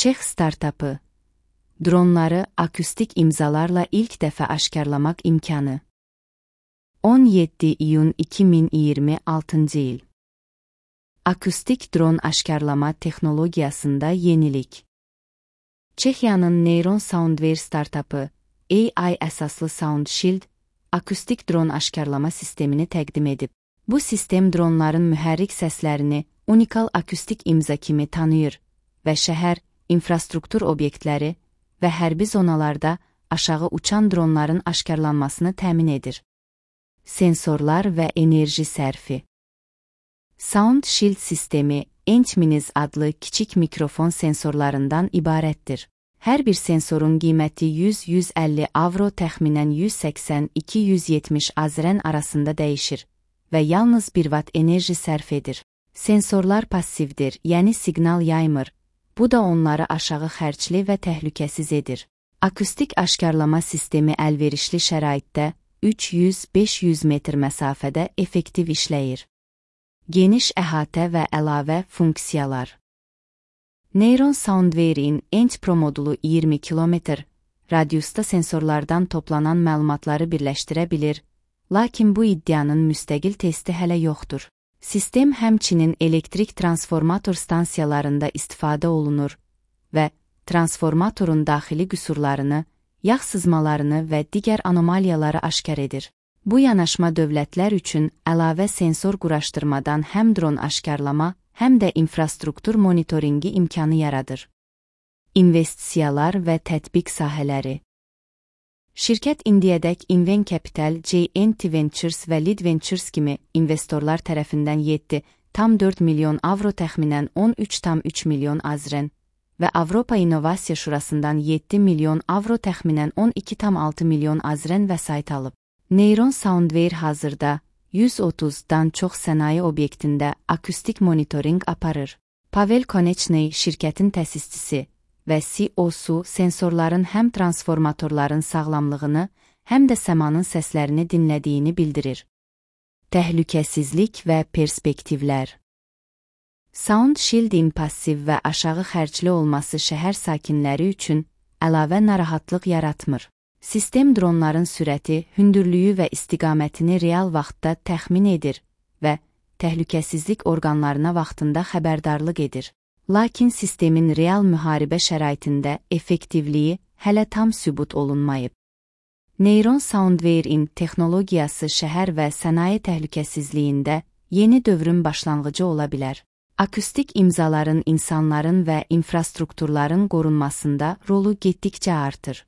Çex startapı. Dronları akustik imzalarla ilk dəfə aşkarlamaq imkanı. 17 iyun 2026 il. Akustik dron aşkarlama texnologiyasında yenilik. Çexiyanın Neyron Soundware startapı, AI əsaslı SoundShield, akustik dron aşkarlama sistemini təqdim edib. Bu sistem dronların mühərrik səslərini unikal akustik imza kimi tanıyır və şəhər, infrastruktur obyektləri və hərbi zonalarda aşağı uçan dronların aşkarlanmasını təmin edir. Sensorlar və enerji sərfi. SoundShield sistemi, Entminiz adlı kiçik mikrofon sensorlarından ibarətdir. Hər bir sensorun qiyməti 100-150 avro təxminən 180-270 azrən arasında dəyişir və yalnız 1 watt enerji sərf edir. Sensorlar passivdir, yəni siqnal yaymır. Bu da onları aşağı xərcli və təhlükəsiz edir. Akustik aşkarlama sistemi əlverişli şəraitdə 300-500 metr məsafədə effektiv işləyir. Geniş əhatə və əlavə funksiyalar. Neyron Soundware'in Ent Pro modulu 20 km radiusda sensorlardan toplanan məlumatları birləşdirə bilir, lakin bu iddianın müstəqil testi hələ yoxdur. Sistem həmçinin elektrik transformator stansiyalarında istifadə olunur və transformatorun daxili qüsurlarını, yağ sızmalarını və digər anomaliyaları aşkar edir. Bu yanaşma dövlətlər üçün əlavə sensor quraşdırmadan həm dron aşkarlama, həm də infrastruktur monitoringi imkanı yaradır. İnvestisiyalar və tətbiq sahələri. Şirkət indiyədək Inven Capital, JNT Ventures və Lead Ventures kimi investorlar tərəfindən 7,4 milyon avro təxminən 13,3 milyon azrən və Avropa İnnovasiya Şurasından 7 milyon avro təxminən 12,6 milyon azrən vəsait alıb. Neyron Soundware hazırda 130-dan çox sənaye obyektində akustik monitoring aparır. Pavel Konechny şirkətin təsisçisi və CEO-su sensorların həm transformatorların sağlamlığını, həm də səmanın səslərini dinlədiyini bildirir. Təhlükəsizlik və perspektivlər. SoundShield'in passiv və aşağı xərcli olması şəhər sakinləri üçün əlavə narahatlıq yaratmır. Sistem dronların sürəti, hündürlüyü və istiqamətini real vaxtda təxmin edir və təhlükəsizlik orqanlarına vaxtında xəbərdarlıq edir. Lakin sistemin real müharibə şəraitində effektivliyi hələ tam sübut olunmayıb. Neyron Soundware'in texnologiyası şəhər və sənaye təhlükəsizliyində yeni dövrün başlanğıcı ola bilər. Akustik imzaların insanların və infrastrukturların qorunmasında rolu getdikcə artır.